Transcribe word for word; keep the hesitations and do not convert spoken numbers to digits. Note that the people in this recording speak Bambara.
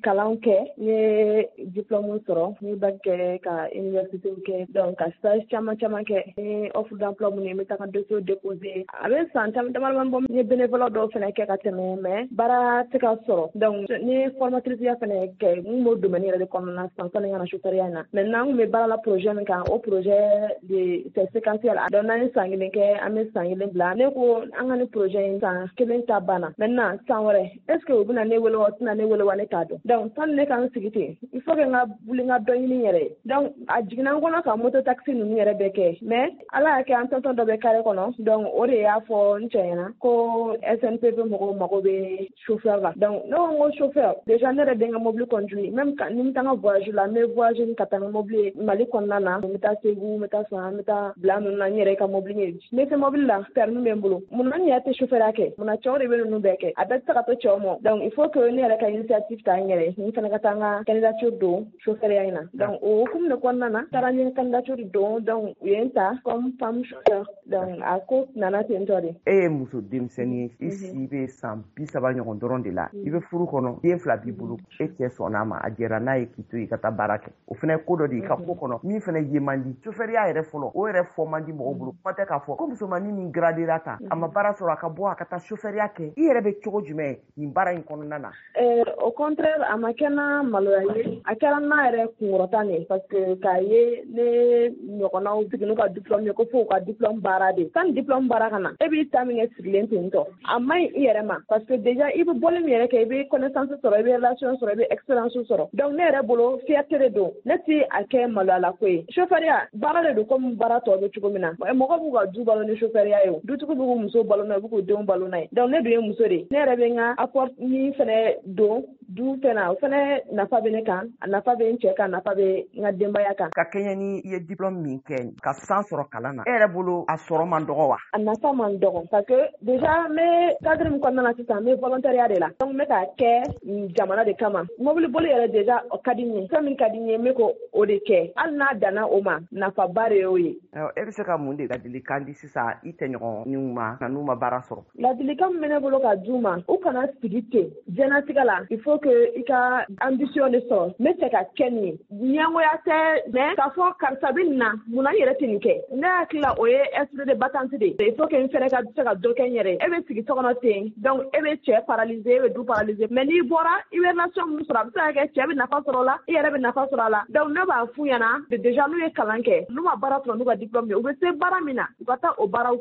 Kalan kɛ, n ye diplôme sɔrɔ, n ye bac kɛ, ka université kɛ, donc ka stage caman caman kɛ. N ye offre d'emploi minnu ye, n bɛ taa ka dossier déposer. A bɛ san caman dama bɔ, n ye bénévolat dɔw fana kɛ ka tɛmɛ, mais baara tɛ ka sɔrɔ. Donc n ye formatrice ya fana kɛ, n b'o domaine yɛrɛ de kɔnɔna na sisan sani n ka na chauffeur ya in na. Maintenant, n kun bɛ baara la projet min kan, o projet de c'est séquentiel. Donc n'an ye san kelen kɛ, an bɛ san kelen bila. Ne ko an ka ni projet in san kelen ta banna, maintenant san wɛrɛ, est ce que u bɛna ne wele wa, u tɛna ne wele wa, ne t'a dɔn. Donc sani ne ka n sigi ten, il faut que n ka wuli, n ka dɔ ɲini n yɛrɛ ye. Donc a jiginna n kɔnɔ ka moto taxi ninnu yɛrɛ bɛɛ kɛ, mais Ala y'a kɛ, an tonton dɔ bɛ carré kɔnɔ. Donc o de y'a fɔ n cɛ ɲɛna ko S N P P mɔgɔw mago bɛ chauffeur la. Donc ne ko n ko chauffeur, déjà ne yɛrɛ bɛ n ka mobili conduire, même ni n bɛ taa n ka voyage la, n bɛ voyage ka taa n ka mobili ye Mali kɔnɔna na. N bɛ taa Segu, n bɛ taa San, n bɛ taa bila ninnu na, n yɛrɛ ka mobili ye. N bɛ se mobili la, permis bɛ n bolo. Munna n yɛrɛ tɛ chauffeur ya kɛ? Munna cɛw de bɛ ninnu bɛɛ kɛ? A bɛɛ tɛ se ka to cɛw ma. Donc il faut que ne yɛrɛ ka initiative ta n yɛrɛ, n fana ka taa n ka candidature don chauffeur ya in na. Donc o hukumu de kɔnɔna na, taara n ye candidature don, donc u ye n ta comme femme chauffeur. Donc a ko nana ten tɔ de. E ye muso denmisɛnnin ye, i si bɛ san bi saba ɲɔgɔn dɔrɔn de la, i bɛ furu kɔnɔ, den fila b'i bolo. E cɛ sɔnna a ma, a jɛra n'a ye k'i to yen ka taa baara kɛ. O fana ye ko dɔ de ye i ka ko kɔnɔ min fana ye man di. Chauffeurya yɛrɛ fɔlɔ, o yɛrɛ fɔ man di mɔgɔw bolo. Kuma tɛ k'a fɔ ko musomannin min gradera tan, a ma baara sɔrɔ, a ka bɔ a ka taa chauffeurya kɛ. I yɛrɛ bɛ cogo jumɛn nin baara in kɔnɔna na? Au contraire, a ma kɛ na maloya ye, a kɛra n'a yɛrɛ kunkɔrɔta de, parce que k'a ye ne ɲɔgɔnnaw sigi n'u ka diplôme ye, ko fo u ka diplôme baara de. Sani diplôme baara ka na, e b'i ta min kɛ sigilen ten tɔ, a man ɲi i yɛrɛ ma, parce que déjà i bɛ bɔli min yɛrɛ kɛ, i bɛ connaissance sɔrɔ, i bɛ relation sɔrɔ, i bɛ expérience sɔrɔ. Donc ne yɛrɛ bolo, fierté de don, ne ti a kɛ maloyala ko ye. Chauffeurya baara de don comme baara tɔ bɛ cogo min na. Mɔgɔ b'u ka du balo ni chauffeurya ye, o dutigiw b'u muso balo n'a ye, u b'u k'u denw balo n'a ye. Donc ne dun ye muso de ye, ne yɛrɛ bɛ n ka apport min fɛnɛ don du fɛn na, o fɛnɛ nafa bɛ ne kan, a nafa bɛ n cɛ kan, a nafa bɛ n ka denbaya kan. Ka kɛɲɛ ni i ye diplôme min kɛ, ka san sɔrɔ kalan na, e yɛrɛ bolo, a sɔrɔ man dɔgɔ wa? A nafa man dɔgɔ, parce que déjà n bɛ cadre min kɔnɔna na sisan, n bɛ volontariat de la. Donc n bɛ k'a kɛ jamana de kama. Mobili boli yɛrɛ déjà, o ka di n ye, fɛn min ka di n ye, n bɛ ko o de kɛ. Hali n'a danna o ma, nafaba de y'o ye. E bɛ se ka mun de ladilikan di sisan i tɛɲɔgɔnninw ma n'u ma baara sɔrɔ? Ladilikan min bɛ ne bolo ka d'u ma, u kana sigi ten. Diɲɛlatigɛ la, il faut que i ka ambition de sɔrɔ. N bɛ fɛ ka kɛ nin ye, ɲɛngoya tɛ, mais k'a fɔ karisa bɛ nin na, munna n yɛrɛ tɛ nin kɛ? Ne hakili la, o ye esprit de battante de ye. Il faut que n fɛnɛ ka se ka dɔ kɛ n yɛrɛ ye. E bɛ sigi so kɔnɔ ten, donc e bɛ cɛ paralyser, e bɛ du paralyser. Mais n'i bɔra, i bɛ relation min sɔrɔ, a bɛ se ka kɛ cɛ bɛ nafa sɔrɔ o la, i yɛrɛ bɛ nafa sɔrɔ a la. Donc ne b'a f'u ɲɛna déjà, n'u ye kalan kɛ, n'u ma baara sɔrɔ n'u ka diplôme ye, u bɛ se baara min na, u ka taa o baaraw kɛ.